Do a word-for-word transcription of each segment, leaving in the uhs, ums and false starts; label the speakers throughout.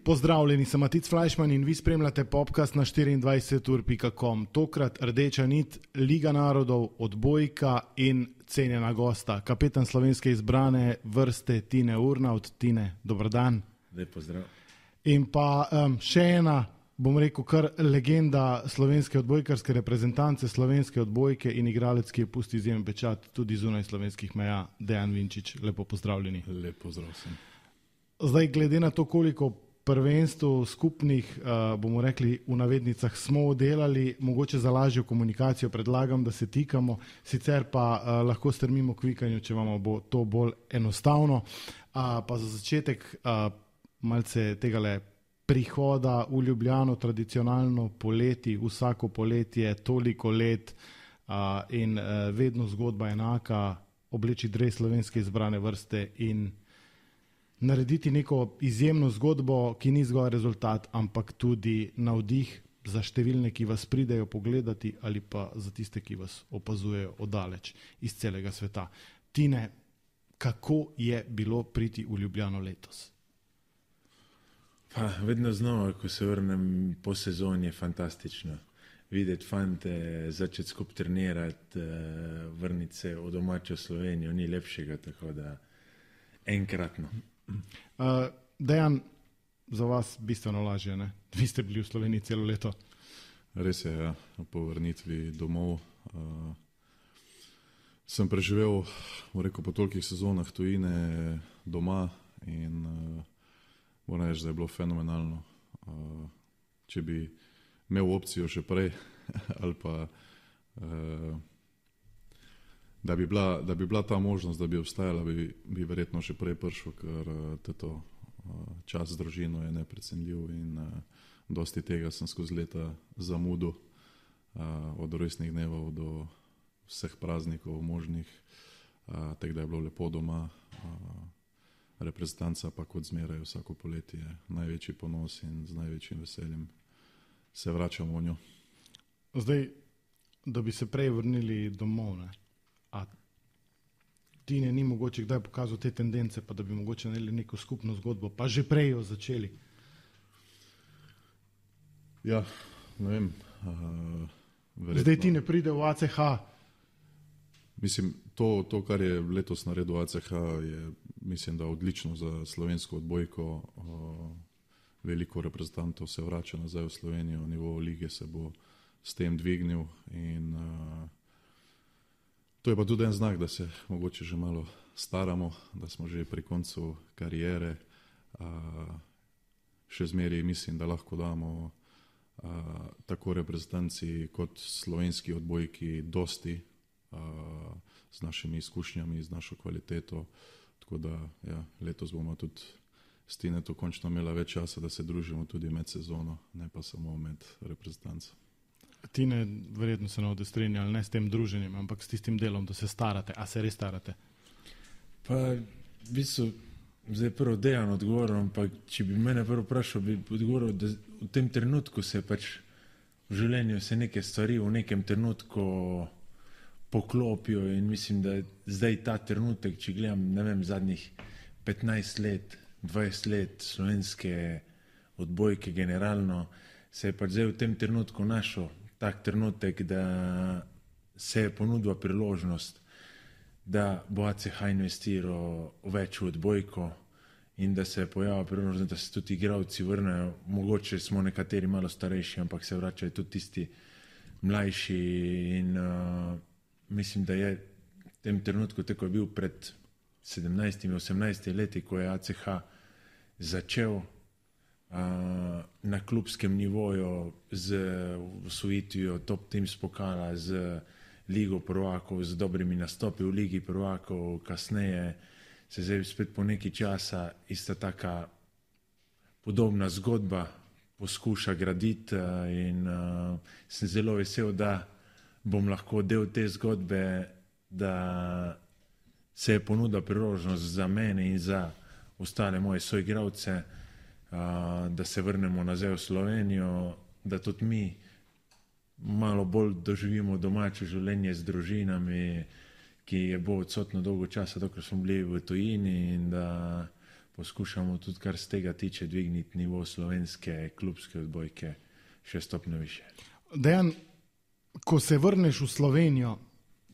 Speaker 1: Pozdravljeni, sem Matic Flajšman in vi spremljate podcast na štiriindvajset ur pika com. Tokrat rdeča nit, Liga narodov, odbojka in cenjena gosta, kapetan slovenske izbrane vrste Tine Urnaut. Tine, dober dan.
Speaker 2: Lep pozdrav.
Speaker 1: In pa um, še ena, bom rekel, kar legenda slovenske odbojkarske reprezentance, slovenske odbojke in igralec, ki je pustil izjemen pečat tudi zunaj slovenskih meja, Dejan Vinčič. Lepo pozdravljeni.
Speaker 2: Lep pozdrav sem.
Speaker 1: Zdaj, glede na to, koliko prvenstv skupnih, uh, bomo rekli, v navednicah smo oddelali, mogoče za lažjo komunikacijo predlagam, da se tikamo, sicer pa uh, lahko strmimo k vikanju, če vam bo to bolj enostavno. Uh, pa za začetek uh, malce tegale prihoda v Ljubljano, tradicionalno poleti, vsako poletje, toliko let uh, in uh, vedno zgodba enaka, obleči dres slovenske izbrane vrste in narediti neko izjemno zgodbo, ki ni zgolj rezultat, ampak tudi navdih za številne, ki vas pridejo pogledati ali pa za tiste, ki vas opazujejo oddaleč iz celega sveta. Tine, kako je bilo priti v Ljubljano letos?
Speaker 2: Pa, vedno znova, ko se vrnem po sezoni, je fantastično. Videti fante, začeti skup trenirati, vrniti se v domačo Slovenijo, ni lepšega, tako da enkratno.
Speaker 1: Uh, Dejan, za vas bistveno lažje, ne? Vi ste bili v Sloveniji celo leto.
Speaker 3: Res je, ja, po vrnitvi domov. Uh, sem preživel, rekel, po tolikih sezonah tujine doma in uh, moram reči, da je bilo fenomenalno. Uh, če bi imel opcijo še prej ali pa uh, Da bi, bila, da bi bila ta možnost, da bi obstajala, bi, bi verjetno še prej prišel, ker teto, čas z družino je neprecenljiv in uh, dosti tega sem skozi leta zamudil, uh, od rojstnih dnevov do vseh praznikov možnih, uh, tako da je bilo lepo doma. Uh, reprezentanca pa kot zmeraj vsako poletje največji ponos in z največjim veseljem se vračamo v njo.
Speaker 1: Zdaj, da bi se prej vrnili domov, ne? A Tine ni mogoče kdaj pokazal te tendence, pa da bi mogoče naredili neko skupno zgodbo, pa že prej jo začeli?
Speaker 3: Ja, ne vem. Uh,
Speaker 1: Zdaj Tine pride v A C H.
Speaker 3: Mislim, to, to, kar je letos naredil A C H, je, mislim, da odlično za slovensko odbojko. Uh, veliko reprezentantov se vrača nazaj v Slovenijo, nivo lige se bo s tem dvignil in uh, to je pa tudi en znak, da se mogoče že malo staramo, da smo že pri koncu karijere. Še zmeraj mislim, da lahko damo tako reprezentanci kot slovenski odbojki dosti z našimi izkušnjami, z našo kvaliteto. Tako da ja, letos bomo tudi s Tineto končno imela več časa, da se družimo tudi med sezono, ne pa samo med reprezentanco.
Speaker 1: Tine, verjetno se ne boste strinjali, ne s tem druženjem, ampak s tistim delom, da se starate. A se res starate?
Speaker 2: Pa, v bistvu, zdaj prvo Dejan odgovoril, ampak če bi mene prvo vprašal, bi odgovoril, da v tem trenutku se pač v življenju se neke stvari v nekem trenutku poklopijo in mislim, da zdaj ta trenutek, če gledam, ne vem, zadnjih petnajst let, dvajset let slovenske odbojke generalno, se je pač zdaj v tem trenutku našel tak trenutek, da se je ponudila priložnost, da bo A C H investiral več v odbojko in da se je pojavila priložnost, da se tudi igralci vrnejo. Mogoče smo nekateri malo starejši, ampak se vračajo tudi tisti mlajši in uh, mislim, da je v tem trenutku, tako je bil pred sedemnajstimi, osemnajstimi leti, ko je A C H začel na klubskem nivoju z osvojitvijo top teams pokala, z Ligo prvakov, z dobrimi nastopi v Ligi prvakov, kasneje se zdaj spet po nekaj časa ista taka podobna zgodba poskuša graditi in uh, sem zelo vesel, da bom lahko del te zgodbe, da se je ponudila priložnost za mene in za ostale moje soigralce, Uh, da se vrnemo nazaj v Slovenijo, da tudi mi malo bolj doživimo domače življenje z družinami, ki je bo odsotno dolgo časa, dokler smo bili v tujini in da poskušamo tudi, kar z tega tiče, dvigniti nivo slovenske klubske odbojke še stopnjo više.
Speaker 1: Dejan, ko se vrneš v Slovenijo,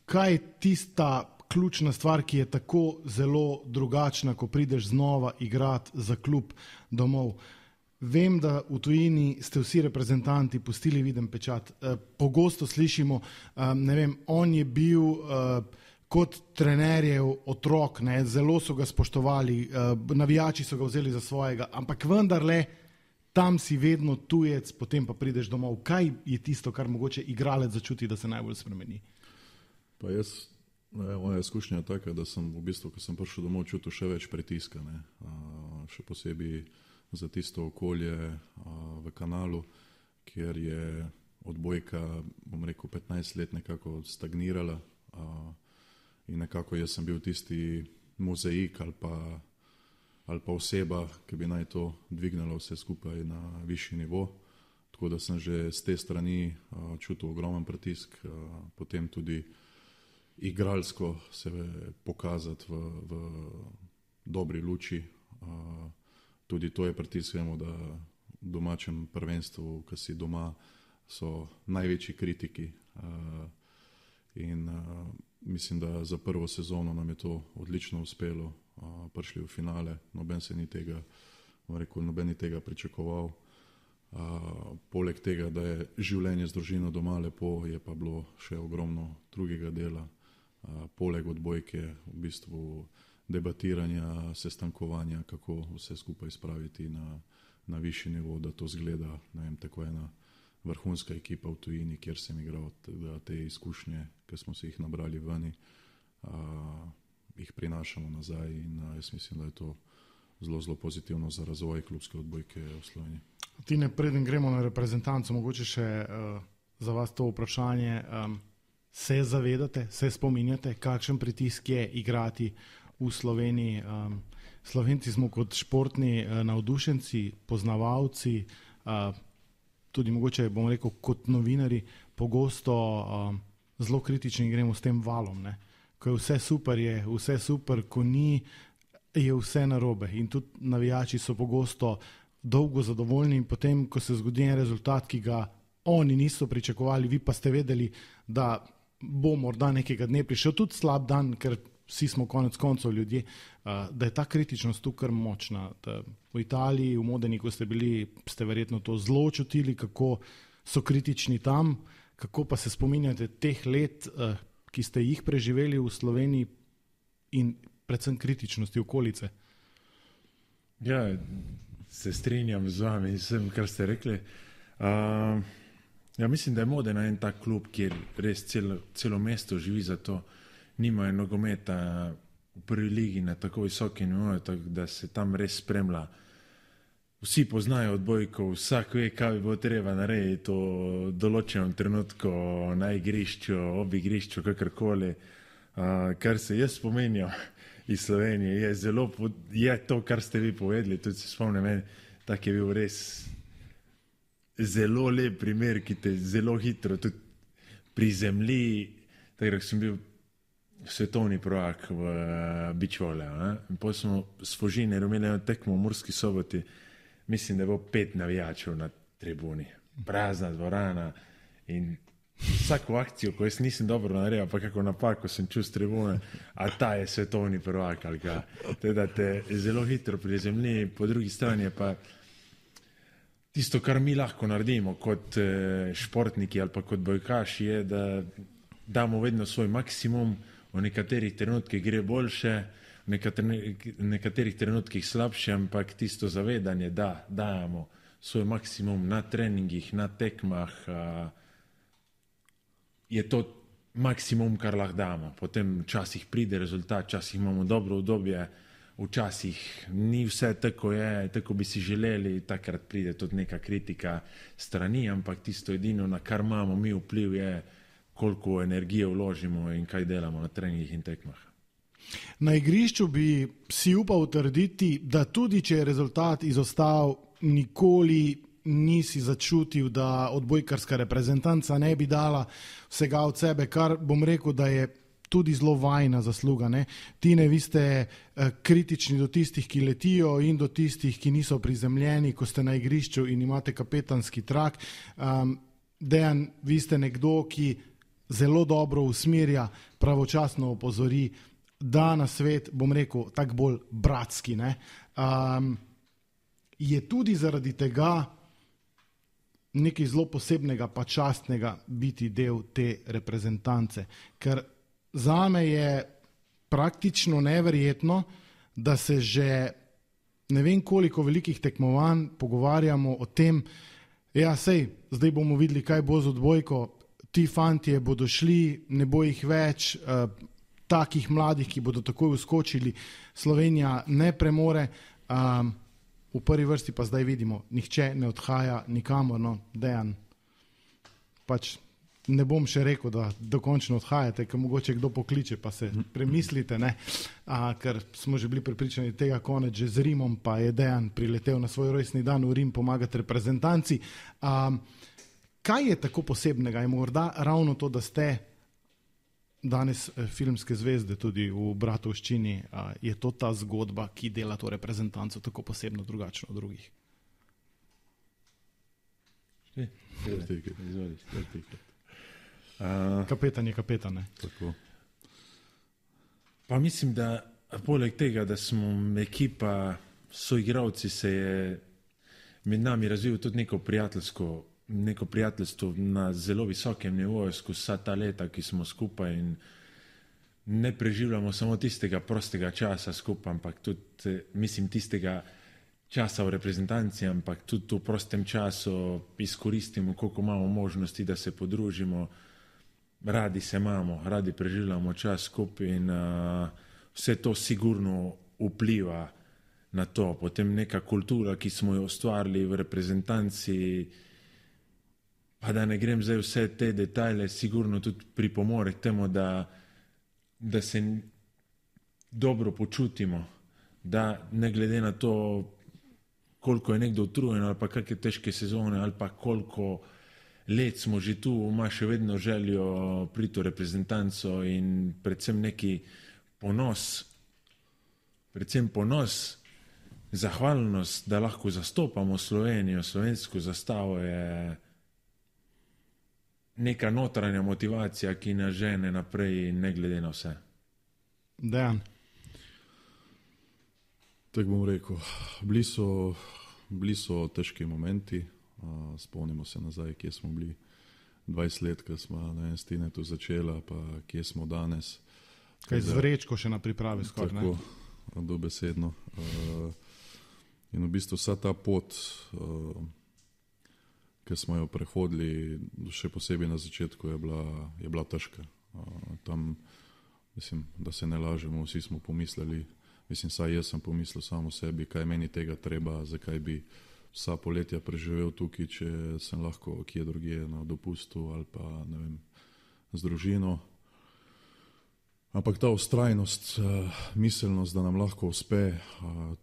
Speaker 1: kaj je tista ključna stvar, ki je tako zelo drugačna, ko prideš znova igrati za klub domov? Vem, da v tujini ste vsi reprezentanti pustili viden pečat. Pogosto slišimo, ne vem, on je bil kot trenerjev otrok, ne, zelo so ga spoštovali, navijači so ga vzeli za svojega, ampak vendarle tam si vedno tujec, potem pa prideš domov. Kaj je tisto, kar mogoče igralec začuti, da se najbolj spremeni?
Speaker 3: Pa jaz, ne, moja izkušnja je taka, da sem v bistvu, ko sem prišel domov, čutil še več pritiska, ne. A, še posebej za tisto okolje a, v Kanalu, kjer je odbojka, bom rekel, petnajst let nekako stagnirala a, in nekako jaz sem bil tisti mozaik ali pa ali pa oseba, ki bi naj to dvignala vse skupaj na višji nivo. Tako da sem že z te strani a, čutil ogromen pritisk, a, potem tudi igralsko se pokazati v, v dobri luči. A, tudi to je pritisk, vemo, da v domačem prvenstvu, ki si doma, so največji kritiki. A, in a, mislim, da za prvo sezono nam je to odlično uspelo. Uh, prišli v finale, noben se ni tega, rekel, noben ni tega pričakoval. Uh, poleg tega, da je življenje z družino doma lepo, je pa bilo še ogromno drugega dela. Uh, poleg odbojke, v bistvu debatiranja, sestankovanja, kako vse skupaj spraviti na, na višji nivo, da to zgleda, ne vem, tako ena vrhunska ekipa v tujini, kjer sem igral, da te izkušnje, ki smo se jih nabrali vani, uh, jih prinašamo nazaj in uh, jaz mislim, da je to zelo, zelo pozitivno za razvoj klubske odbojke v Sloveniji.
Speaker 1: Tine, preden gremo na reprezentanco, mogoče še uh, za vas to vprašanje. Um, se zavedate, se spominjate, kakšen pritisk je igrati v Sloveniji? Um, Slovenci smo kot športni uh, navdušenci, poznavalci, uh, tudi mogoče, bom rekel, kot novinari, pogosto uh, zelo kritični gremo s tem valom, ne? Ko je vse super, je vse super, ko ni, je vse narobe. In tudi navijači so pogosto dolgo zadovoljni in potem, ko se zgodi en rezultat, ki ga oni niso pričakovali, vi pa ste vedeli, da bo morda nekega dne prišel tudi slab dan, ker vsi smo konec koncev ljudje, da je ta kritičnost tu kar močna. Da v Italiji, v Modeni, ko ste bili, ste verjetno to zelo čutili, kako so kritični tam, kako pa se spominjate teh let, ki ste jih preživeli v Sloveniji in predvsem kritičnosti okolice?
Speaker 2: Ja, se strinjam z vami in vsem, kar ste rekli. Uh, ja, mislim, da je Modena en tak klub, kjer res celo, celo mesto živi za to. Nimajo nogometa v prvi ligi na tako visoki nivoju, tako da se tam res spremlja. Vsi poznajo odbojko, vsak ve, kaj bi bilo treba narediti v določenem trenutku na igrišču, ob igrišču, kakorkoli. Uh, kar se jaz spominjam iz Slovenije, je zelo, je to, kar ste vi povedali, tudi se spomnim, meni, tak je bil res zelo lep primer, ki te zelo hitro tudi prizemlji, tako da sem bil svetovni prvak v uh, bičvole. In potem smo s Fužinerjem imeli eno tekmo v Murski Soboti. Mislim, da je bilo pet navijačev na tribuni, prazna dvorana in vsako akcijo, ko jaz nisem dobro naredil, pa kako napako sem čul s tribune, a ta je svetovni prvak ali ga. Teda te zelo hitro prizemlji, po drugi strani je pa tisto, kar mi lahko naredimo kot športniki ali pa kot bojkaši, je, da damo vedno svoj maksimum, v nekaterih trenutkih gre boljše, v nekaterih trenutkih slabše, ampak tisto zavedanje, da dajemo svoj maksimum na treningih, na tekmah, je to maksimum, kar lahko damo. Potem včasih pride rezultat, včasih imamo dobro obdobje, včasih ni vse tako je, tako bi si želeli, takrat pride tudi neka kritika strani, ampak tisto edino, na kar imamo mi vpliv, je koliko energije vložimo in kaj delamo na treningih in tekmah.
Speaker 1: Na igrišču bi si upal trditi, da tudi če je rezultat izostal, nikoli nisi začutil, da odbojkarska reprezentanca ne bi dala vsega od sebe, kar bom rekel, da je tudi zelo vajna zasluga. Ne? Tine, vi ste uh, kritični do tistih, ki letijo in do tistih, ki niso prizemljeni, ko ste na igrišču in imate kapetanski trak. Um, Dejan, vi ste nekdo, ki zelo dobro usmerja, pravočasno opozori, da na svet, bom rekel, tak bolj bratski. Ne? Um, je tudi zaradi tega nekaj zelo posebnega pa častnega biti del te reprezentance, ker zame je praktično neverjetno, da se že ne vem koliko velikih tekmovanj pogovarjamo o tem, ja sej, zdaj bomo videli, kaj bo z odbojko, ti fantje bodo šli, ne bo jih več, eh, takih mladih, ki bodo takoj uskočili, Slovenija ne premore, um, v prvi vrsti pa zdaj vidimo, nihče ne odhaja nikamor, no, Dejan, pač ne bom še rekel, da dokončno odhajate, ker mogoče kdo pokliče, pa se premislite, ne, A, ker smo že bili prepričani tega konec že z Rimom, pa je Dejan priletel na svoj rojstni dan v Rim pomagati reprezentanci. A, kaj je tako posebnega? Je morda ravno to, da ste danes filmske zvezde tudi v Bratovščini, a, je to ta zgodba, ki dela to reprezentanco tako posebno drugačno od drugih?
Speaker 2: Uh,
Speaker 1: kapetan je kapetan, ne?
Speaker 3: Tako.
Speaker 2: Pa mislim, da poleg tega, da smo ekipa, soigravci, se je med nami razvil tudi neko prijateljsko, neko prijateljstvo na zelo visokem nivoju skozi vsa ta leta, ki smo skupaj in ne preživljamo samo tistega prostega časa skupaj, ampak tudi, mislim, tistega časa v reprezentanci, ampak tudi v prostem času izkoristimo, koliko imamo možnosti, da se podružimo. Radi se imamo, radi preživljamo čas skupaj in uh, vse to sigurno vpliva na to. Potem neka kultura, ki smo jo ustvarili v reprezentanci, pa da ne grem zdaj vse te detajle, sigurno tudi pripomore k temu, da, da se dobro počutimo, da ne glede na to, koliko je nekdo utrujen ali pa kakšne težke sezone ali pa koliko let smo že tu, ima še vedno željo priti v reprezentanco in predvsem neki ponos, predvsem ponos, zahvalnost, da lahko zastopamo Slovenijo, slovensko zastavo je neka notranja motivacija, ki nas žene naprej ne glede na vse.
Speaker 1: Dejan.
Speaker 3: Tako bom rekel, bili so, bili so težki momenti. Uh, spomnimo se nazaj, kje smo bili dvajset let, ko smo na Stinetu začela, pa kje smo danes.
Speaker 1: Kaj z vrečko še na pripravi skoraj, ne?
Speaker 3: Tako, dobesedno. Uh, in v bistvu vsa ta pot, uh, ki smo jo prehodili, še posebej na začetku, je bila, je bila težka. Uh, tam, mislim, da se ne lažemo, vsi smo pomislili, mislim, saj jaz sem pomislil samo sebi, kaj meni tega treba, zakaj bi vsa poletja preživel tukaj, če sem lahko kje drugje na dopustu ali pa, ne vem, z družino. Ampak ta ustrajnost, miselnost, da nam lahko uspe,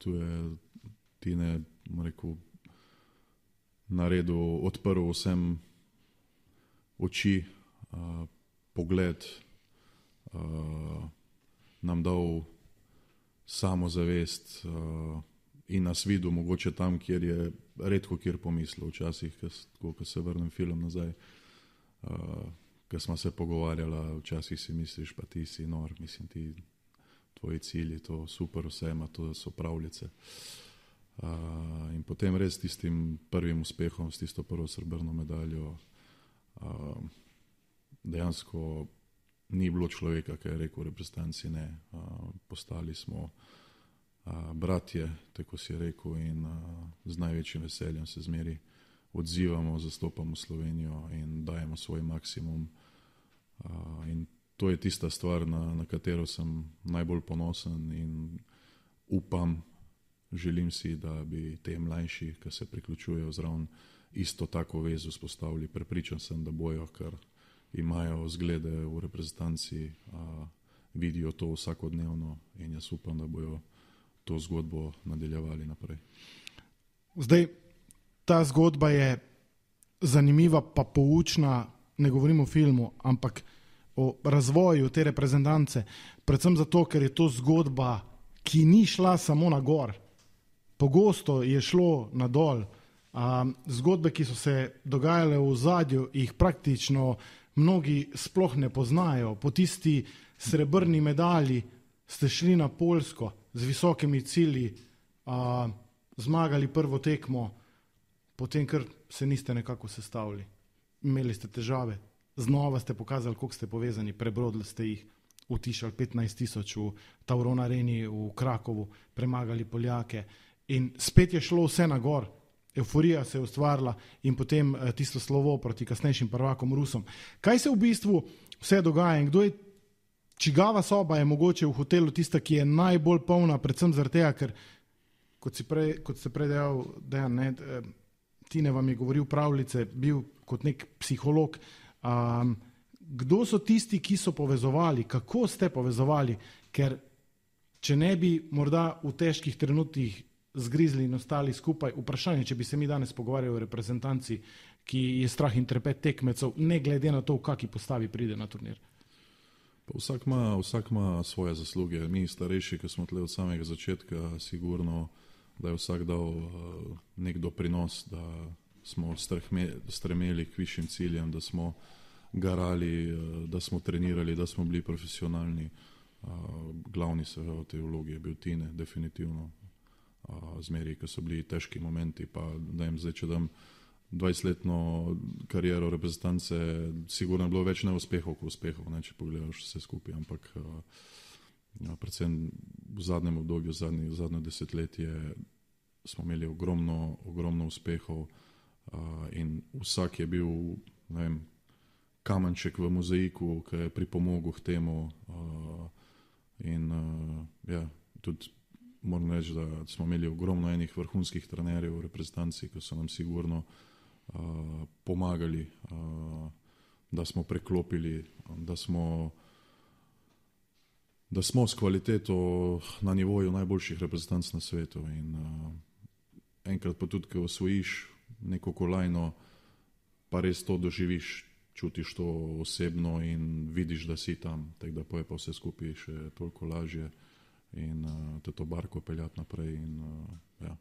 Speaker 3: tu je Tine, rekel, naredil, odprl vsem oči, pogled, nam dal samozavest, in nas videl mogoče tam, kjer je redko kjer pomislil, včasih, ko, ko se vrnem film nazaj, uh, ko smo se pogovarjali, včasih si misliš, pa ti si nor, mislim, ti, tvoji cilji, to super vse ima, to so pravljice. Uh, in potem res tistim prvim uspehom, s tisto prvo srebrno medaljo, uh, dejansko ni bilo človeka, ki je rekel v reprezentanci ne, uh, postali smo Uh, bratje, tako si je rekel, in uh, z največjim veseljem se zmeri odzivamo, zastopamo Slovenijo in dajemo svoj maksimum. Uh, in to je tista stvar, na, na katero sem najbolj ponosen in upam, želim si, da bi te mlajši, ki se priključujejo zraven, isto tako vezo spostavili. Prepričan sem, da bojo, ker imajo zglede v reprezentanci, uh, vidijo to vsakodnevno in jaz upam, da bojo to zgodbo nadaljevali naprej.
Speaker 1: Zdaj, ta zgodba je zanimiva pa poučna, ne govorim o filmu, ampak o razvoju te reprezentance, predvsem zato, ker je to zgodba, ki ni šla samo na gor. Pogosto je šlo na dol. Um, zgodbe, ki so se dogajale v ozadju, jih praktično mnogi sploh ne poznajo. Po tisti srebrni medalji ste šli na Poljsko z visokimi cilji, uh, zmagali prvo tekmo, potem kar se niste nekako sestavili. Imeli ste težave, znova ste pokazali, koliko ste povezani, prebrodili ste jih, utišali petnajst tisoč v Tauron Areni v Krakovu, premagali Poljake in spet je šlo vse na gor. Euforija se je ustvarila in potem tisto slovo proti kasnejšim prvakom Rusom. Kaj se v bistvu vse dogaja in kdo je, čigava soba je mogoče v hotelu tista, ki je najbolj polna, predvsem zaradi tega, ker kot si prej, kot ste prej dejal, Dejan, ne, Tine vam je govoril pravljice, bil kot nek psiholog. Um, kdo so tisti, ki so povezovali, kako ste povezovali, ker če ne bi morda v težkih trenutkih zgrizli in ostali skupaj, vprašanje, če bi se mi danes pogovarjali o reprezentanci, ki je strah in trepet tekmecev, ne glede na to, v kaki postavi pride na turnir.
Speaker 3: Pa vsak ima, vsak ima svoje zasluge. Mi starejši, ki smo tle od samega začetka, sigurno, da je vsak dal uh, nek doprinos, da smo strhme, stremeli k višjim ciljem, da smo garali, uh, da smo trenirali, da smo bili profesionalni. Uh, glavni seveda v tej vlogi je bil Tine, definitivno. Uh, zmeri, ko so bili težki momenti, pa da jim zdaj, če dam dvajsetletno kariero reprezentance, sigurno je bilo več neuspehov kot uspehov, ne, če pogledaš vse skupaj, ampak uh, ja, predvsem v zadnjem obdobju, zadnje, zadnje desetletje smo imeli ogromno, ogromno uspehov uh, in vsak je bil, ne vem, kamenček v mozaiku, ki je pripomogel k temu uh, in uh, ja, tudi moram reči, da smo imeli ogromno enih vrhunskih trenerjev v reprezentanci, ki so nam sigurno uh, pomagali, uh, da smo preklopili, da smo, da smo s kvaliteto na nivoju najboljših reprezentanc na svetu. In uh, enkrat pa tudi, ko osvojiš neko kolajno, pa res to doživiš, čutiš to osebno in vidiš, da si tam, tako da poje pa vse skupaj še toliko lažje. In uh, te to barko peljati naprej. In, uh, ja.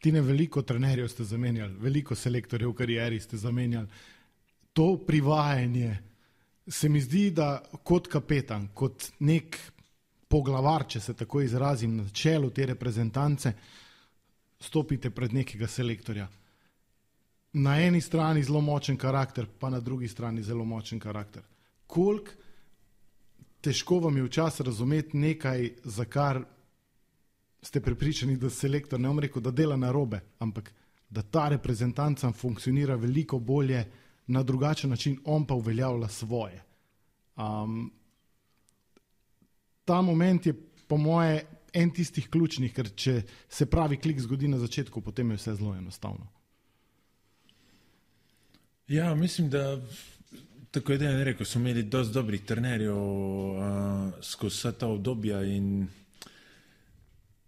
Speaker 1: Tine, veliko trenerjev ste zamenjali, veliko selektorjev v karieri ste zamenjali. To privajanje se mi zdi, da kot kapetan, kot nek poglavar, če se tako izrazim, na čelu te reprezentance, stopite pred nekega selektorja. Na eni strani zelo močen karakter, pa na drugi strani zelo močen karakter. Koliko težko vam je včasih razumeti nekaj, za kar ste prepričani, da selektor, ne bom rekel, da dela narobe, ampak da ta reprezentanca funkcionira veliko bolje na drugačen način, on pa uveljavlja svoje. Um, ta moment je po moje en tistih ključnih, ker če se pravi klik zgodi na začetku, potem je vse zelo enostavno.
Speaker 2: Ja, mislim, da tako je Dejan rekel, smo imeli dosti dobrih trenerjev uh, skozi vsa ta obdobja in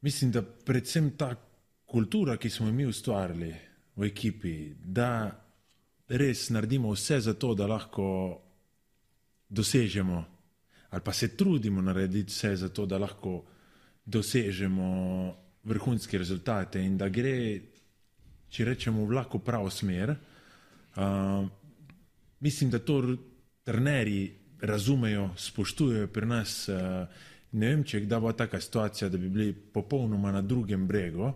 Speaker 2: mislim, da predvsem ta kultura, ki smo jo mi ustvarili v ekipi, da res naredimo vse za to, da lahko dosežemo ali pa se trudimo narediti vse za to, da lahko dosežemo vrhunske rezultate in da gre, če rečemo, v lahko pravo smer. Uh, Mislim, da to trenerji razumejo, spoštujejo pri nas. Ne vem, če je kdaj bila taka situacija, da bi bili popolnoma na drugem bregu,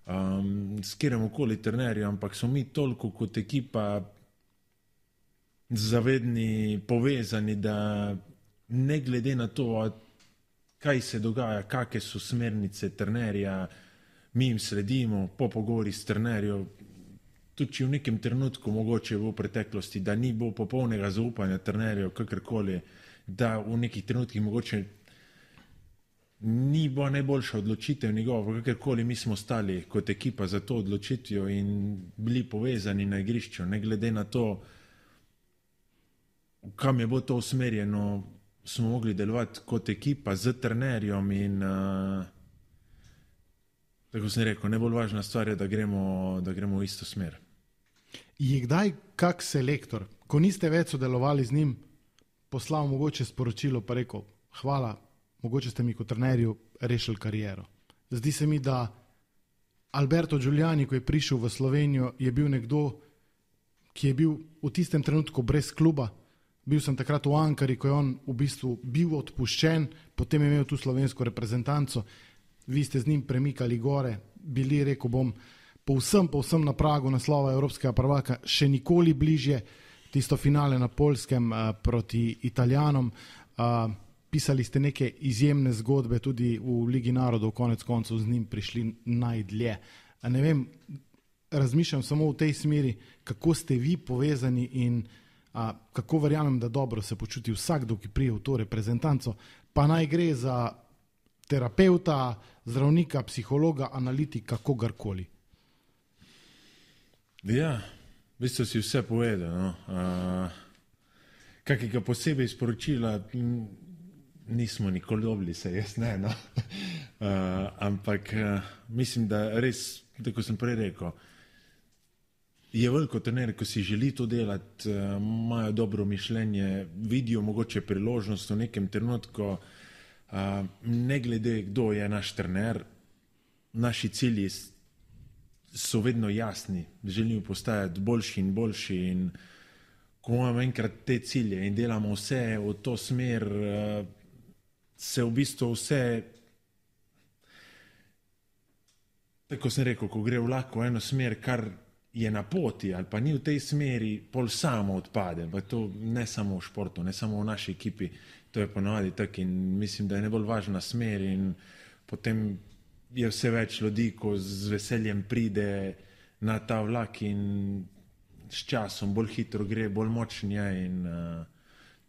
Speaker 2: um, s katerim okoli trenerju, ampak so mi toliko kot ekipa zavedni, povezani, da ne glede na to, kaj se dogaja, kakšne so smernice trenerja, mi jim sledimo po pogovori s trenerjem. Tudi če v nekem trenutku mogoče v preteklosti, da ni bilo popolnega zaupanja trenerjev, kakorkoli, da v nekih trenutkih mogoče ni bila najboljša odločitev njegova, kakorkoli mi smo stali kot ekipa za to odločitvijo in bili povezani na igrišču, ne glede na to, kam je bilo to usmerjeno, smo mogli delovati kot ekipa z trenerjem in uh, tako sem rekel, najbolj važna stvar je, da gremo, da gremo v isto smer.
Speaker 1: Je kdaj kak selektor, ko niste več sodelovali z njim, poslal mogoče sporočilo pa rekel, hvala, mogoče ste mi kot trenerju rešili kariero. Zdi se mi, da Alberto Giuliani, ko je prišel v Slovenijo, je bil nekdo, ki je bil v tistem trenutku brez kluba. Bil sem takrat v Ankari, ko je on v bistvu bil odpuščen, potem je imel tu slovensko reprezentanco, vi ste z njim premikali gore, bili, rekel bom, povsem, povsem na pragu naslova evropskega prvaka, še nikoli bližje, tisto finale na Poljskem uh, proti Italijanom. Uh, pisali ste neke izjemne zgodbe, tudi v Ligi narodov, konec koncev z njim prišli najdlje. A ne vem, razmišljam samo v tej smeri, kako ste vi povezani in uh, kako verjamem, da dobro se počuti vsakdo, ki prije v to reprezentanco, pa naj gre za terapeuta, zdravnika, psihologa, analitika, kogarkoli.
Speaker 2: Ja, v bistvu si vse povedal. No. Uh, kakega posebej sporočila nismo nikoli dobili, se jaz ne. No. Uh, ampak uh, mislim, da res, tako sem prej rekel, je veliko trenerjev, ko si želi to delati, uh, imajo dobro mišljenje, vidijo mogoče priložnost v nekem trenutku, uh, ne glede, kdo je naš trener, naši cilji so vedno jasni, želimo postajati boljši in boljši in ko imamo enkrat te cilje in delamo vse v to smer, se v bistvu vse, tako sem rekel, ko gre vlak v eno smer, kar je na poti ali pa ni v tej smeri, pol samo odpade, pa to ne samo v športu, ne samo v naši ekipi, to je ponovadi tako in mislim, da je najbolj važna smer in potem je vse več ljudi, ko z veseljem pride na ta vlak in s časom bolj hitro gre, bolj močen je in uh,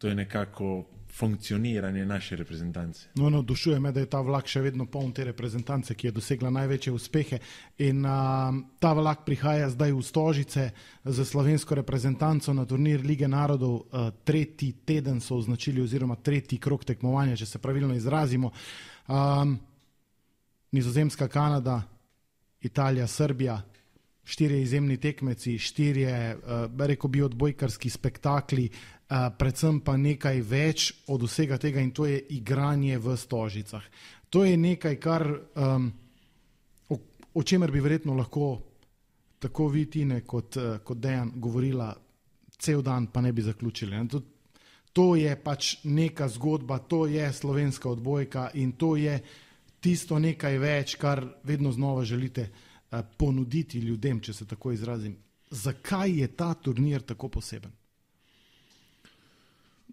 Speaker 2: to je nekako funkcioniranje naše reprezentance.
Speaker 1: No, no, dušuje me, da je ta vlak še vedno poln te reprezentance, ki je dosegla največje uspehe in uh, ta vlak prihaja zdaj v Stožice za slovensko reprezentanco na turnir Lige narodov, uh, tretji teden so označili oziroma tretji krog tekmovanja, če se pravilno izrazimo. Um, Nizozemska, Kanada, Italija, Srbija, štirje izjemni tekmeci, štirje, uh, rekel bi, odbojkarski spektakli, uh, predvsem pa nekaj več od vsega tega in to je igranje v Stožicah. To je nekaj, kar, um, o, o čemer bi verjetno lahko tako vi, Tine, kot, uh, kot Dejan govorila cel dan, pa ne bi zaključili. To, to je pač neka zgodba, to je slovenska odbojka in to je tisto nekaj več, kar vedno znova želite uh, ponuditi ljudem, če se tako izrazim. Zakaj je ta turnir tako poseben?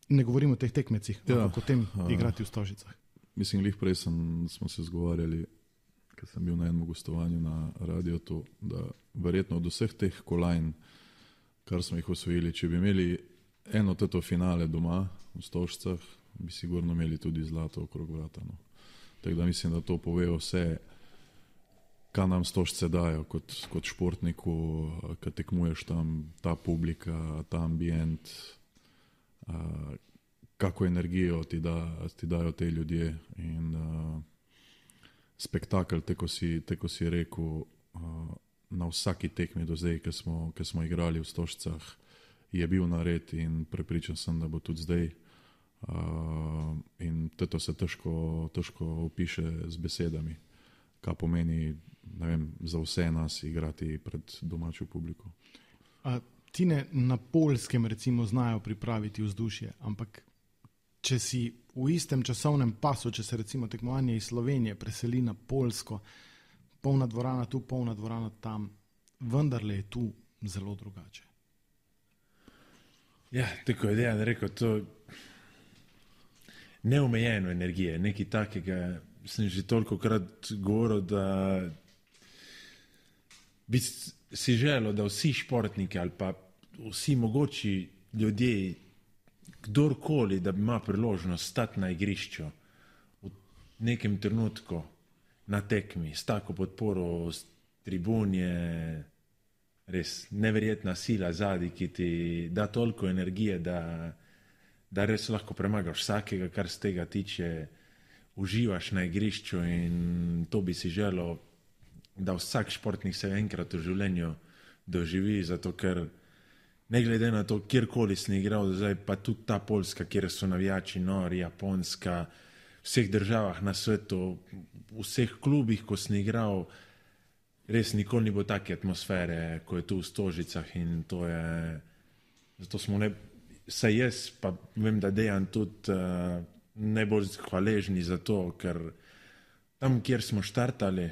Speaker 1: Ne govorimo o teh tekmecih, ja, ampak o tem uh, igrati v Stožicah.
Speaker 3: Mislim, lih prej sem, smo se zgovarjali, ker sem bil na enem gostovanju na radiotu, da verjetno od vseh teh kolajn, kar smo jih osvojili, če bi imeli eno teto finale doma v Stožicah, bi sigurno imeli tudi zlato okrog vrata. No. Tako da mislim, da to pove vse, kaj nam Stožce dajo kot, kot športniku, kad tekmuješ tam, ta publika, ta ambient, uh, kako energijo ti, da, ti dajo te ljudje in uh, spektakel, tako si, tako si rekel, uh, na vsaki tekmi do zdaj, ki smo, ki smo igrali v Stožcah, je bil nared in prepričan sem, da bo tudi zdaj. Uh, in to se težko, težko opiše z besedami, kaj pomeni, ne vem, za vse nas igrati pred domačo publiko.
Speaker 1: A, Tine, na Poljskem recimo znajo pripraviti vzdušje, ampak če si v istem časovnem pasu, če se recimo tekmovanje iz Slovenije preseli na Poljsko, polna dvorana tu, polna dvorana tam, vendarle je tu zelo drugače.
Speaker 2: Ja, tako je Dejan rekel, to neomejeno energije, nekaj takega sem že toliko krat govoril, da bi si želel, da vsi športniki ali pa vsi mogoči ljudje, kdorkoli, da ima priložnost stati na igrišču v nekem trenutku na tekmi, s tako podporo, s tribunje, res neverjetna sila zadaj, ki ti da toliko energije, da da res lahko premagaš vsakega, kar z tega tiče, uživaš na igrišču in to bi si želel, da vsak športnik se enkrat v življenju doživi, zato ker ne glede na to, kjerkoli sem igral, zdaj pa tudi ta Poljska, kjer so navijači nori, Japonska, v vseh državah na svetu, v vseh klubih, ko sem igral, res nikoli ni bilo take atmosfere, ko je tu v Stožicah in to je, zato smo ne, saj jaz, pa vem, da Dejan tudi uh, najbolj hvaležni za to, ker tam, kjer smo štartali,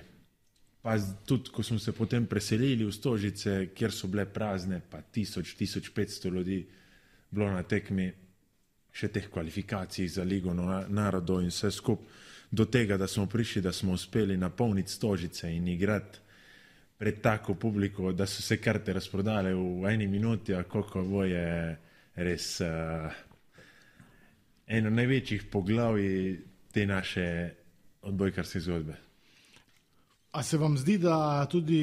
Speaker 2: pa tudi, ko smo se potem preselili v Stožice, kjer so bile prazne, pa tisoč, tisoč petsto ljudi bilo na tekmi, še teh kvalifikacij za Ligo narodov in vse skup, do tega, da smo prišli, da smo uspeli napolniti Stožice in igrati pred tako publiko, da so se karte razprodale v eni minuti, a koliko bo je res uh, eno največjih poglavij te naše odbojkarske zgodbe.
Speaker 1: A se vam zdi, da tudi,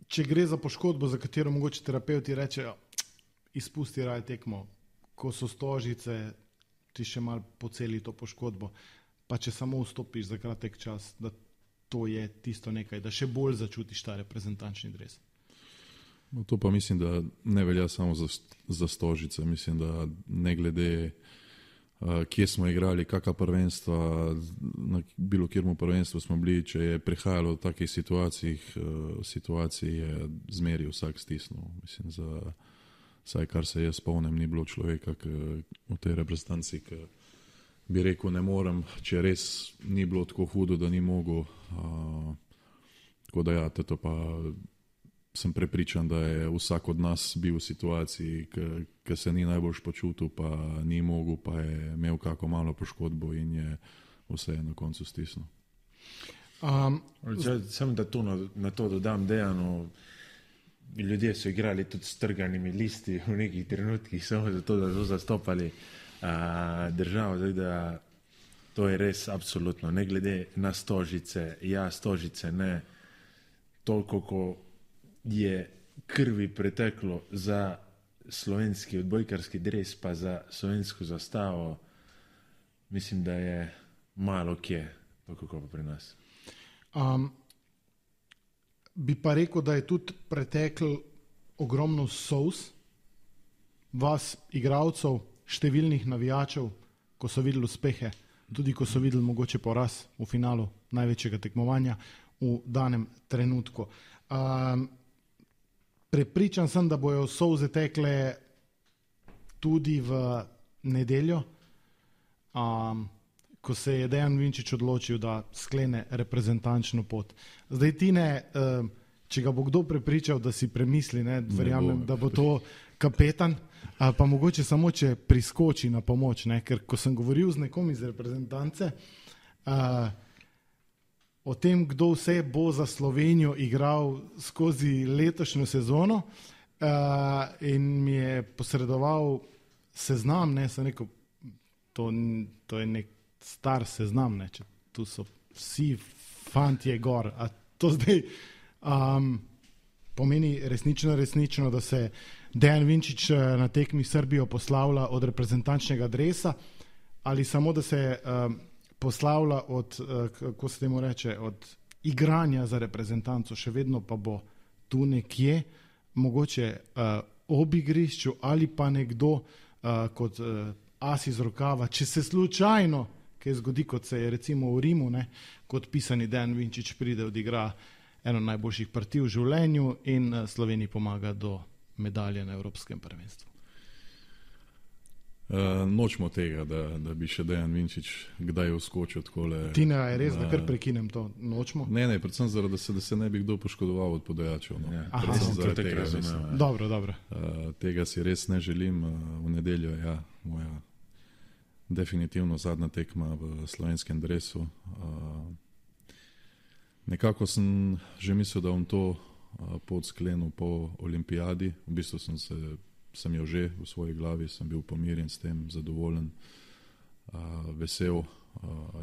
Speaker 1: če gre za poškodbo, za katero mogoče terapeuti rečejo, izpusti raje tekmo, ko so Stožice, ti še malo poceli to poškodbo, pa če samo vstopiš za kratek čas, da to je tisto nekaj, da še bolj začutiš ta reprezentančni dres.
Speaker 3: No, to pa mislim, da ne velja samo za, za Stožice. Mislim, da ne glede, uh, kje smo igrali, kakva prvenstva, na bilo kjermu prvenstvu smo bili, če je prihajalo v takih situacijah, uh, situacij je zmeri vsak stisnil. Mislim, za saj kar se jaz spomnim, ni bilo človeka k, v tej reprezentanci, ki bi rekel, ne morem, če res ni bilo tako hudo, da ni mogel. Uh, tako da ja, to pa sem prepričan, da je vsak od nas bil v situaciji, ki se ni najbolj počutil, pa ni mogel, pa je imel kako malo poškodbo in je vse na koncu stisnil.
Speaker 2: Um, Sem da to na, na to dodam, Dejanu, ljudje so igrali tudi s trganimi listi v nekih trenutkih, samo zato, da so zastopali uh, državo, zdaj da to je res absolutno, ne glede na Stožice, ja, Stožice ne, toliko, ko je krvi preteklo za slovenski odbojkarski dres, pa za slovensko zastavo, mislim, da je malo kje, tako kot pa pri nas.
Speaker 1: Um, bi pa rekel, da je tudi pretekl ogromno solz vas, igralcev, številnih navijačev, ko so videli uspehe, tudi ko so videli mogoče poraz v finalu največjega tekmovanja v danem trenutku. Um, Prepričan sem, da bojo solze tekle tudi v nedeljo, um, ko se je Dejan Vinčić odločil, da sklene reprezentančno pot. Zdaj, Tine, um, če ga bo kdo prepričal, da si premisli, ne, verjamem, da bo to kapetan, uh, pa mogoče samo, če priskoči na pomoč, ne, ker ko sem govoril z nekom iz reprezentance, uh, o tem, kdo vse bo za Slovenijo igral skozi letošnjo sezono uh, in mi je posredoval seznam, ne, sem rekel, to, to je nek star seznam, ne, če tu so vsi fantje gor, a to zdaj um, pomeni resnično, resnično, da se Dejan Vinčić na tekmi Srbijo poslavlja od reprezentančnega dresa ali samo, da se um, poslavlja od, kako se temu reče, od igranja za reprezentanco, še vedno pa bo tu nekje, mogoče uh, ob igrišču ali pa nekdo uh, kot uh, as iz rokava, če se slučajno kaj zgodi, kot se je recimo v Rimu, ne, kot pisani Dejan Vinčić pride, odigra eno najboljših partij v življenju in uh, Sloveniji pomaga do medalje na Evropskem prvenstvu.
Speaker 3: Uh, nočemo tega, da, da bi še Dejan Vinčić kdaj uskočil takole.
Speaker 1: Tina, je res, da kar prekinem to? Nočemo?
Speaker 3: Ne, ne, predvsem zaradi, da se, da se ne bi kdo poškodoval od podajačev. No.
Speaker 2: Ja,
Speaker 3: Aha, zaradi tega, mislim,
Speaker 1: dobro, dobro.
Speaker 3: Uh, tega si res ne želim. Uh, v nedeljo je ja, moja definitivno zadnja tekma v slovenskem dresu. Uh, nekako sem že mislil, da bom to uh, pot sklenil po olimpijadi. V bistvu sem se sem jo že v svoji glavi, sem bil pomirjen s tem, zadovoljen, uh, vesel, uh,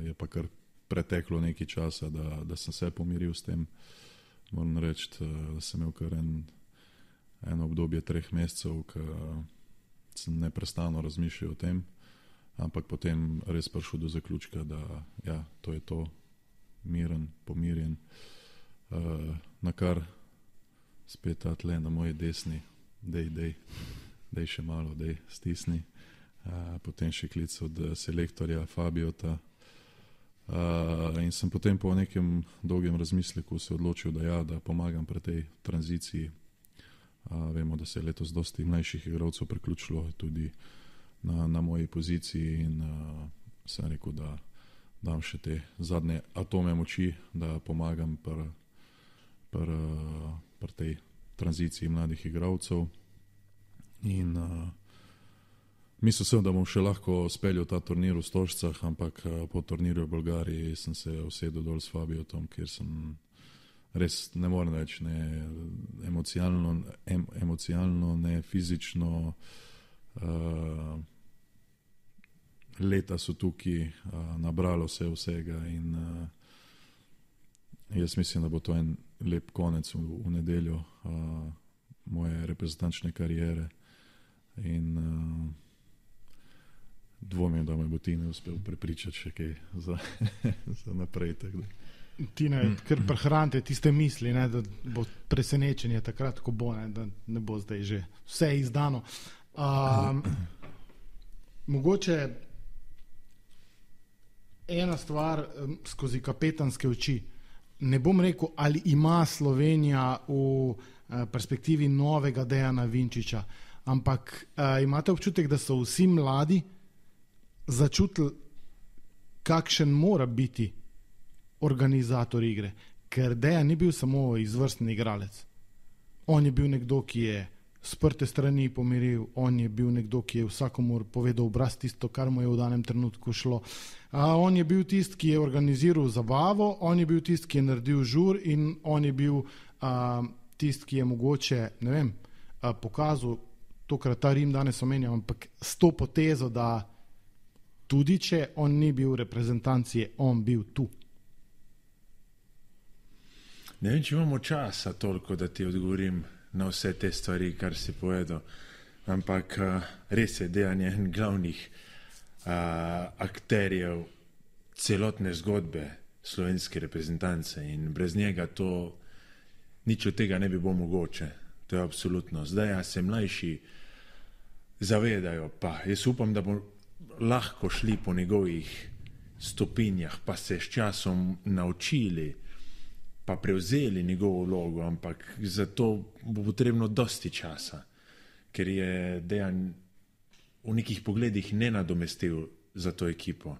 Speaker 3: je pa kar preteklo nekaj časa, da, da sem se pomiril s tem. Moram reči, da sem imel kar en, en obdobje treh mesecev, ki sem neprestano razmišljal o tem, ampak potem res prišel do zaključka, da ja, to je to, miren, pomirjen, uh, na kar spet ta tle na moji desni dej, dej, dej še malo, dej, stisni. Uh, potem še klic od selektorja Fabiota. Uh, in sem potem po nekem dolgem razmisleku se odločil, da ja, da pomagam pri tej tranziciji. Uh, vemo, da se je letos dosti mlajših igralcev priključilo tudi na, na moji poziciji in uh, sem rekel, da dam še te zadnje atome moči, da pomagam pri pr, pr tej tranziciji mladih igralcev. In uh, mislil sem, da bom še lahko speljal ta turnir v Stožcah, ampak po turnirju v Bolgariji sem se usedel dol s Fabiotom, kjer sem res, ne morem več, ne emocionalno, em, emocionalno, ne fizično. Uh, leta so tukaj, uh, nabralo se vsega in uh, jaz mislim, da bo to en lep konec v, v nedeljo uh, moje reprezentančne kariere. In uh, dvomim, da me bo Tine uspel prepričati še kaj za, za naprej.
Speaker 1: Tine, ker prehranite tiste misli, ne, da bo presenečenje takrat, ko bo, ne, da ne bo zdaj že vse izdano. Um, mogoče ena stvar um, skozi kapetanske oči. Ne bom rekel, ali ima Slovenija v uh, perspektivi novega Dejana Vinčiča, ampak uh, imate občutek, da so vsi mladi začutili, kakšen mora biti organizator igre, ker Dejan ni bil samo izvrsten igralec. On je bil nekdo, ki je sprte strani pomiril, on je bil nekdo, ki je vsakomur povedal obraz tisto, kar mu je v danem trenutku šlo. A on je bil tist, ki je organiziral zabavo, on je bil tist, ki je naredil žur in on je bil a, tist, ki je mogoče, ne vem, a, pokazal, tokrat ta Rim danes omenjam, ampak s to potezo, da tudi če on ni bil v reprezentanci, on bil tu.
Speaker 2: Ne vem, če imamo časa toliko, da ti odgovorim na vse te stvari, kar si povedal, ampak uh, res je Dejan en glavnih uh, akterjev celotne zgodbe slovenske reprezentance in brez njega to nič od tega ne bi bilo mogoče. To je absolutno. Zdaj ja, se mlajši zavedajo, pa jaz upam, da bo lahko šli po njegovih stopinjah, pa se s časom naučili, pa prevzeli njegovo vlogo, ampak za to bo potrebno dosti časa, ker je Dejan v nekih pogledih nenadomestil za to ekipo.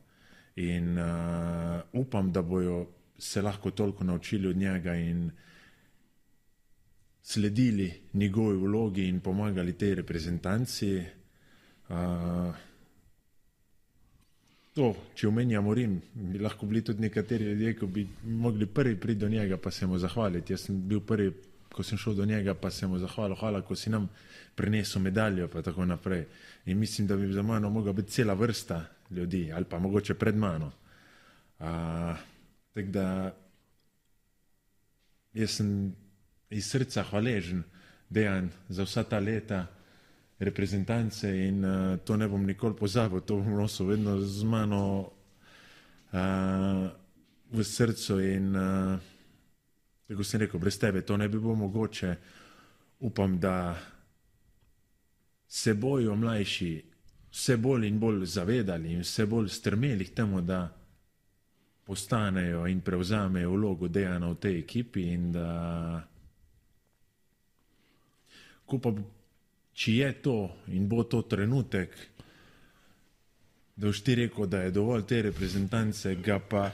Speaker 2: In uh, upam, da bojo se lahko toliko naučili od njega in sledili njegovi vlogi in pomagali tej reprezentanci. Uh, To, če omenjamo Rim, bi lahko bili tudi nekateri ljudje, ko bi mogli prvi priti do njega, pa se mu zahvaliti. Jaz sem bil prvi, ko sem šel do njega, pa se mu zahvalil, hvala, ko si nam prinesel medaljo, pa tako naprej. In mislim, da bi za mano mogla biti cela vrsta ljudi, ali pa mogoče pred mano. Uh, tako da jaz sem iz srca hvaležen, Dejan, za vsa ta leta reprezentance in uh, to ne bom nikoli pozabil, to bom nosil vedno z mano uh, v srcu in uh, tako sem rekel, brez tebe to ne bi bilo mogoče. Upam, da se bojo mlajši vse bolj in bolj zavedali in vse bolj strmeli k temu, da postanejo in prevzamejo vlogo Dejana v tej ekipi in da ko pa če je to in bo to trenutek, da boš ti rekel, da je dovolj te reprezentance, ga pa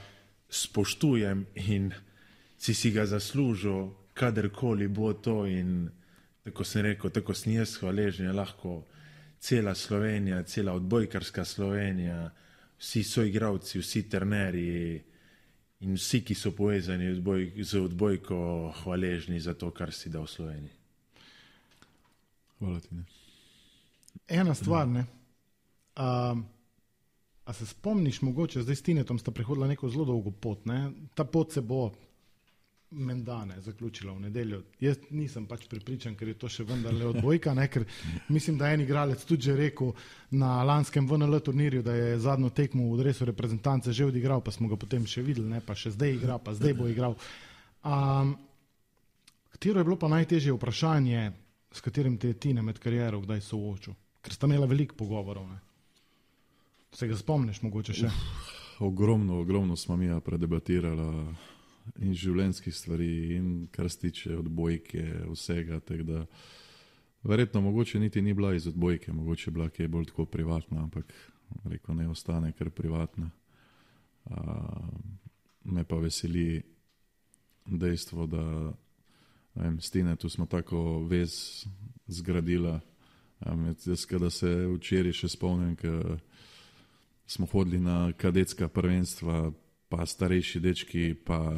Speaker 2: spoštujem in si si ga zaslužil, kadarkoli bo to in tako sem rekel, tako sem jaz hvaležen, je lahko cela Slovenija, cela odbojkarska Slovenija, vsi soigravci, vsi trenerji in vsi, ki so povezani z odbojko, hvaležni za to, kar si dal v Sloveniji.
Speaker 3: Hvala ti, ne.
Speaker 1: Ena stvar, ne. Um, a se spomniš mogoče, zdaj s Tinetom sta prehodila neko zelo dolgo pot, ne? Ta pot se bo mendane zaključila v nedeljo. Jaz nisem pač prepričan, ker je to še vendarle odbojka, ne? Ker mislim, da je en igralec tudi že rekel na lanskem V N L turnirju, da je zadnjo tekmo v dresu reprezentance že odigral, pa smo ga potem še videli, ne? Pa še zdaj igra, pa zdaj bo igral. Um, katero je bilo pa najtežje vprašanje s katerim te je Tine med kariero kdaj soočil? Ker sta imela veliko pogovorov. Ne? Se ga spomniš mogoče še?
Speaker 3: Uf, ogromno, ogromno smo mi predebatirala in življenjskih stvari in kar se tiče odbojke, vsega. Da, verjetno mogoče niti ni bila iz odbojke, mogoče bila kaj bolj tako privatna, ampak rekel, ne ostane kar privatna. Uh, me pa veseli dejstvo, da vem, s Tine tu smo tako vez zgradila. Um, jaz, kada se včeraj še spomnim, ko smo hodili na kadetska prvenstva, pa starejši dečki, pa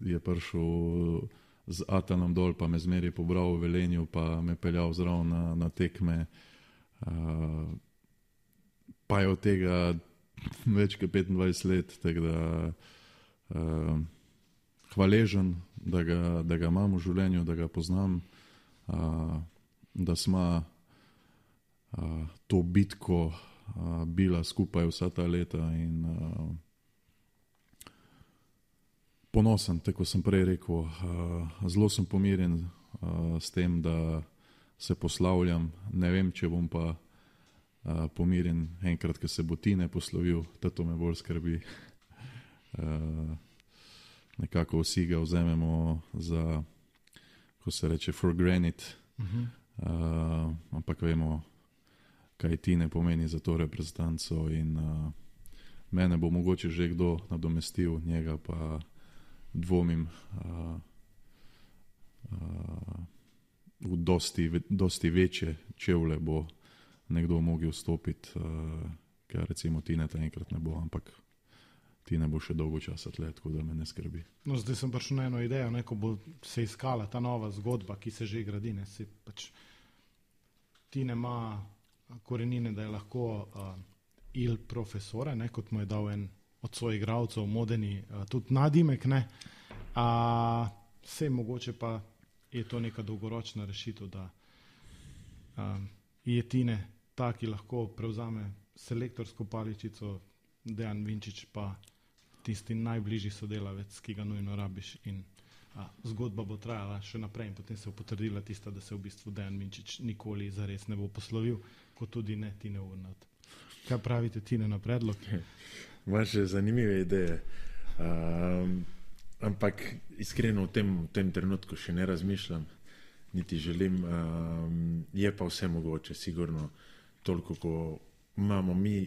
Speaker 3: je prišel z Atanom dol, pa me zmeri pobral v Velenju, pa me peljal zraven na, na tekme. Uh, pa je od tega več kot petindvajset let, tako da uh, hvaležen, da ga, da ga imam v življenju, da ga poznam, uh, da smo uh, to bitko uh, bila skupaj vsa ta leta in uh, ponosen, tako sem prej rekel, uh, zelo sem pomirjen uh, s tem, da se poslavljam, ne vem, če bom pa uh, pomirjen enkrat, ko se bo Tine poslovil, to me bolj skrbi. Uh, nekako vsi ga vzamemo za, ko se reče, for granted, uh-huh. uh, ampak vemo, kaj Tine pomeni za to reprezentanco in uh, mene bo mogoče že kdo nadomestil, njega pa dvomim uh, uh, v dosti, dosti večje čevlje bo nekdo mogel vstopiti, uh, ker recimo Tine ta enkrat ne bo, ampak Tine bo še dolgo časa tle, tako da me ne skrbi.
Speaker 1: No, zdaj sem prišel na eno idejo, ne, ko bo se iskala ta nova zgodba, ki se že gradi, ne, si pač Tine ima korenine, da je lahko uh, il profesore, ne, kot mu je dal en od svojih igralcev Modeni, uh, tudi nadimek, ne, a vse mogoče pa je to neka dolgoročna rešitev, da uh, je Tine ta, ki lahko prevzame selektorsko paličico, Dejan Vinčič pa tisti najbližji sodelavec, ki ga nujno rabiš in a, zgodba bo trajala še naprej in potem se bo potrdila tista, da se v bistvu Dejan Vinčič nikoli zares ne bo poslovil, kot tudi ne Tine Urnalt. Kaj pravite Tine na predlog?
Speaker 2: Imaš zanimive ideje, um, ampak iskreno v tem, v tem trenutku še ne razmišljam, niti želim, um, je pa vse mogoče, sigurno toliko, ko imamo mi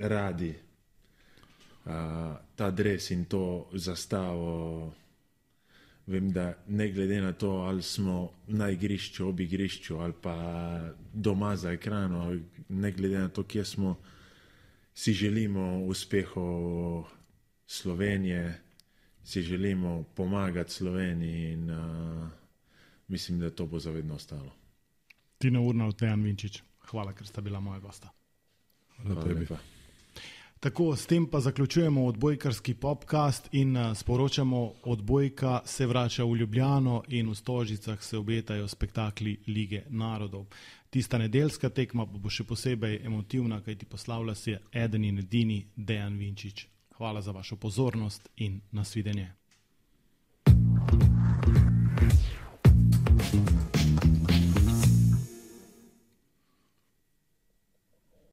Speaker 2: radi uh, ta dres in to zastavo. Vem, da ne glede na to, ali smo na igrišču, ob igrišču ali pa doma za ekrano, ne glede na to, kje smo, si želimo uspehov Slovenije, si želimo pomagati Sloveniji in uh, mislim, da to bo zavedno ostalo.
Speaker 1: Tine Urnalt, Dejan Vinčič, hvala, ker sta bila moja gosta.
Speaker 3: Hvala tebi.
Speaker 1: Tako, s tem pa zaključujemo odbojkarski podcast in sporočamo, odbojka se vrača v Ljubljano in v Stožicah se obetajo spektakli Lige narodov. Tista nedeljska tekma bo še posebej emotivna, kajti poslavlja se eden in edini Dejan Vinčič. Hvala za vašo pozornost in nasvidenje.